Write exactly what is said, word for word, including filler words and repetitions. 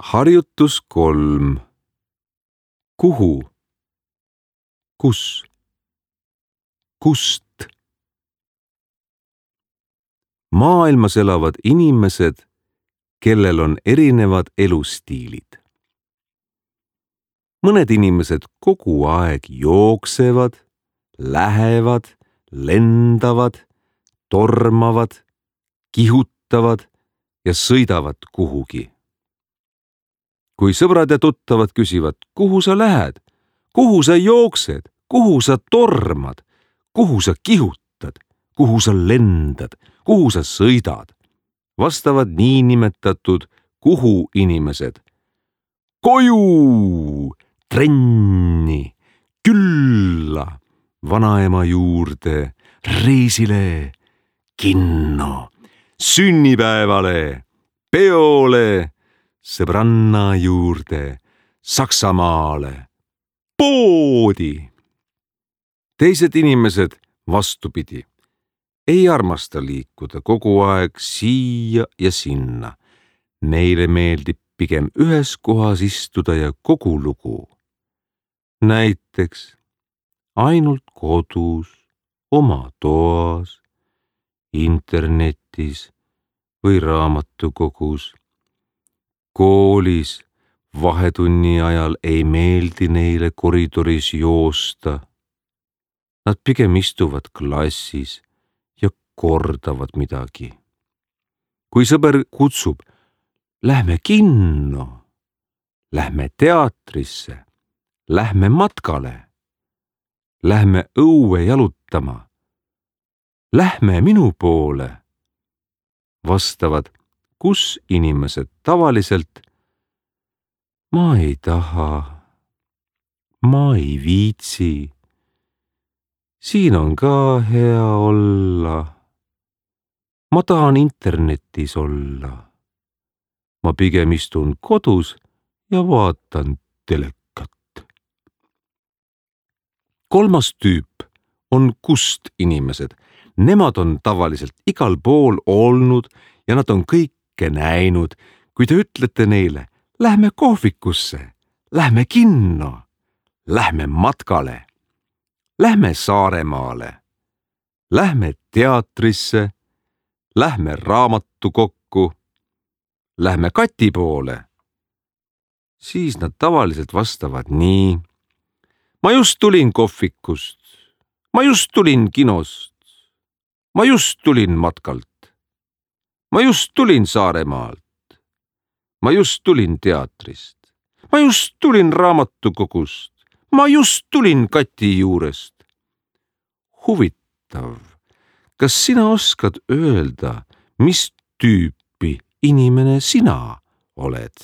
Harjutus kolm. Kuhu? Kus? Kust? Maailmas elavad inimesed, kellel on erinevad elustiilid. Mõned inimesed kogu aeg jooksevad, lähevad, lendavad, tormavad, kihutavad ja sõidavad kuhugi. Kui sõbrad ja tuttavad küsivad, kuhu sa lähed, kuhu sa jooksed, kuhu sa tormad, kuhu sa kihutad, kuhu sa lendad, kuhu sa sõidad, vastavad niinimetatud kuhu inimesed. Koju, trenni, külla, vanaema juurde, reisile, kinno, sünnipäevale, peole, sõbranna juurde, Saksamaale, poodi. Teised inimesed vastupidi ei armasta liikuda kogu aeg siia ja sinna. Neile meeldib pigem ühes kohas istuda ja kogu lugu. Näiteks ainult kodus, oma toas, internetis või raamatukogus. Koolis vahetunni ajal ei meeldi neile koridoris joosta. Nad pigem istuvad klassis ja kordavad midagi. Kui sõber kutsub, lähme kinno, lähme teatrisse, lähme matkale, lähme õue jalutama, lähme minu poole, vastavad kus inimesed tavaliselt, ma ei taha, ma ei viitsi, siin on ka hea olla, ma tahan internetis olla, ma pigem istun kodus ja vaatan telekat. Kolmas tüüp on kust inimesed. Nemad on tavaliselt igal pool olnud ja nad on kõik näinud, kui te ütlete neile, lähme kohvikusse, lähme kinno, lähme matkale, lähme Saaremaale, lähme teatrisse, lähme raamatukokku, lähme Kati poole, siis nad tavaliselt vastavad nii. Ma just tulin kohvikust, ma just tulin kinost, ma just tulin matkalt. Ma just tulin Saaremaalt. Ma just tulin teatrist. Ma just tulin raamatukogust. Ma just tulin Kati juurest. Huvitav, kas sina oskad öelda, mis tüüpi inimene sina oled?